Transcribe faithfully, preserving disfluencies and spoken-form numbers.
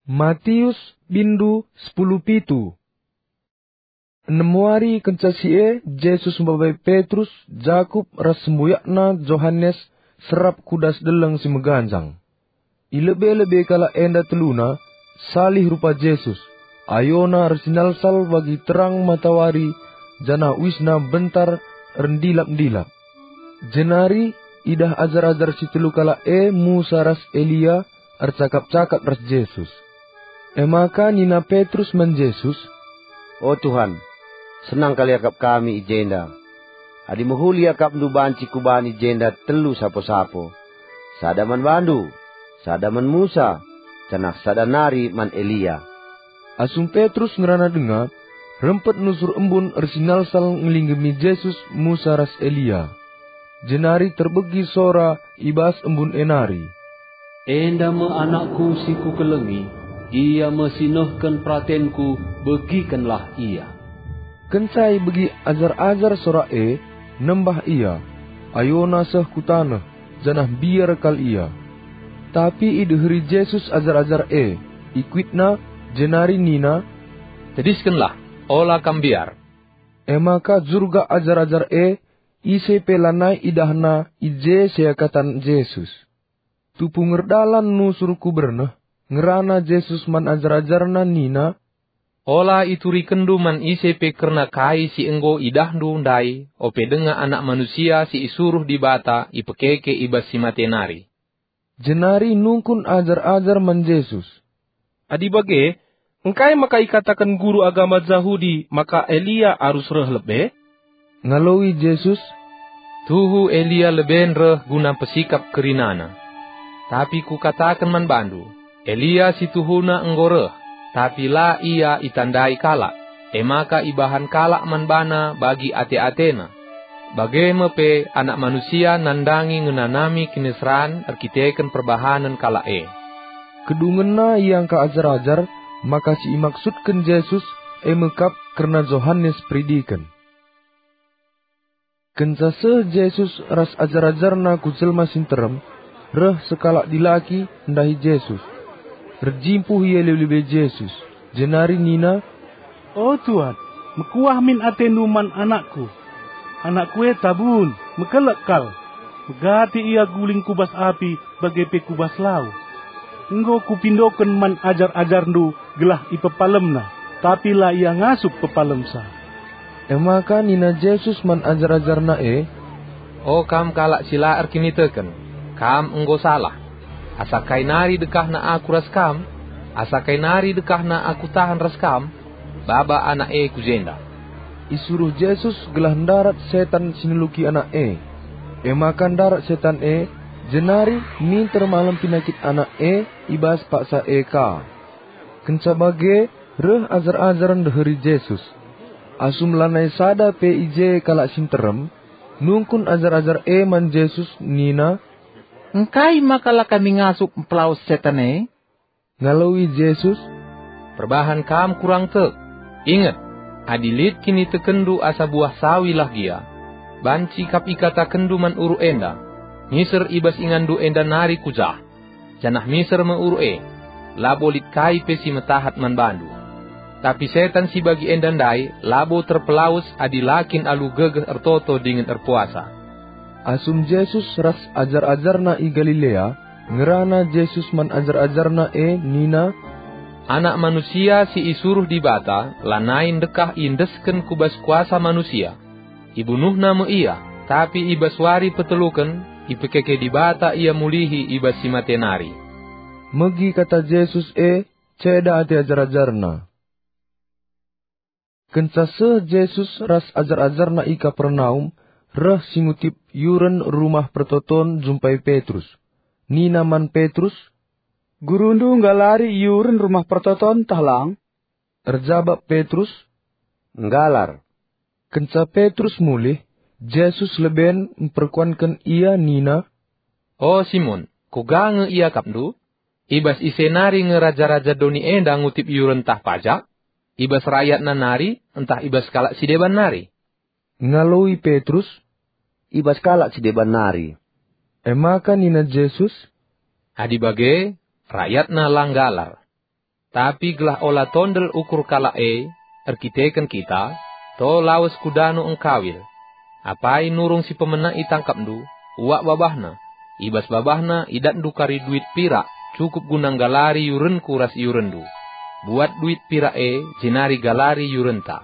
Matius, bindu sepuluh pitu. Enem wari kenca si e, Jesus mbabai Petrus, Jakup, ras semboyakna Johanes serap ku das deleng si meganjang. I lebe-lebe kalak enda teluna, salih rupa Jesus, ayona ersinalsal bagi terang matawari, janah uisna bentar erndilap-ndilap. Jenari idah ajar-ajar si telu kalak e, Musa ras Elia, ercakap-cakap ras Jesus. E maka nina Petrus man Jesus, "O Tuhan, senang kal iakap kami i jenda. Adi mehuli iakapNdu banci kubani jenda telu sapo-sapo, sada man baNdu, sada man Musa, janah sada nari man Elia." Asum Petrus ngerana denga, rempet nusur embun ersinalsal ngelinggemi Jesus, Musa ras Elia. Jenari terbegi sora i bas embun e nari, "Enda me anakku si kukelengi, ia me si nehken peratenku, begikenlah ia." Kenca ibegi ajar-ajar sora e, nembah ia, ayona seh ku taneh, janah mbiar kal ia. Tapi ideheri Jesus ajar-ajar e, ikuitna, jenari nina, "Tediskenlah, ola kam mbiar." E maka jurgak ajar-ajar e, ise pe lanai idahna i je seakatan Jesus. Tupu ngerdalan nusur ku berneh, ngerana Jesus man ajar-ajarNa nina, "Ola iturikenndu man ise pe kerna kai si enggo idahndu ndai, ope denga Anak Manusia si isuruh Dibata ipekeke i bas si mate nari." Jenari nungkun ajar-ajar man Jesus, "Adi bage, engkai maka ikataken guru agama Jahudi maka Elia arus reh lebe?" Ngaloi Jesus, "Tuhu Elia leben reh guna pesikap kerinana. Tapi Kukataken man bandu, Elia si tuhuna enggo reh, tapi la ia itandai kalak, e maka ibahan kalak man bana bagi ate-atena. Bage me pe Anak Manusia nandangi ngenanami kiniseran erkiteken perbahanen kalak e." Kedungenna iangka ajar-ajar maka si imaksudken Jesus e me kap kerna Johanes Peridiken. Kenca seh Jesus ras ajar-ajarNa ku jelma si nterem, reh sekalak dilaki ndahi Jesus. Erjimpuh ia lebe-lebe Jesus, jenari nina, "O Tuan, mekuah min atendu man anakku. Anakku e tabun, mekelek kal. Megati ia guling ku bas api bage pe ku bas lau. Enggo Kupindoken man ajar-ajarNdu gelah ipepalemna, tapi la ia ngasup pepalemsa." E maka nina Jesus man ajar-ajarNa e, "O kam kalak si la erkiniteken, kam enggo salah. Asa kai nari dekahna Aku ras kam? Asa kai nari dekahna Aku tahan ras kam? Baba anak e ku jenda." Isuruh Jesus gelah ndarat setan si neluki anak e. E maka ndarat setan e, jenari minter malem pinakit anak e i bas paksa e ka. Kenca bage, reh ajar-ajar ndeheri Jesus. Asum lanai sada pe i je kalak si nterem, nungkun ajar-ajar e man Jesus nina, "Engkai maka la kami ngasup mpelawes setan e?" Ngaloi Jesus, "Perbahan kam kurang tek! Inget, adi lit kinitekenndu asa buah sawi lah gia, banci kap ikatakenndu man uruk enda, 'Miser i bas inganndu enda nari ku jah,' janah miser me uruk e, labo lit kai pe si metahat man bandu. Tapi setan si bagi enda ndai labo terpelawes adi la kin alu gegeh ertoto dingen erpuasa." Asum Jesus ras ajar-ajarNa i Galilea, ngerana Jesus man ajar-ajarNa e nina, "Anak Manusia si isuruh Dibata lanai ndekah iendesken ku bas kuasa manusia. IbunuhNa me Ia, tapi i bas wari peteluken ipekeke Dibata Ia mulihi i bas si mate nari." Megi kata Jesus e, ceda ate ajar-ajarNa. Kenca seh Jesus ras ajar-ajarNa i Kapernaum, reh si ngutip yuren Rumah Pertoton jumpai Petrus. Nina man Petrus, "GuruNdu nggalari yuren Rumah Pertoton tah lang?" Erjabap Petrus, "Nggalar." Kenca Petrus mulih, Jesus leben mperkuanken ia nina, "O Simon, kuga nge iakapndu? I bas ise nari nge raja-raja doni enda ngutip yuren ntah pajak? I bas rayatna nari ntah i bas kalak si deban nari?" Ngaloi Petrus, "I bas kalak si deban nari." E maka nina Jesus, "Adi bage, rayatna la nggalar." Tapi gelah ola tondel ukur kalak e erkiteken kita, to lawes ku dano engkawil. Apai nurung si pemena itangkapndu, uak babahna. I bas babahna idatndu kari duit pirak, cukup guna nggalari iurenku ras iurenndu. Buat duit pirak e, jenari galari iurenta.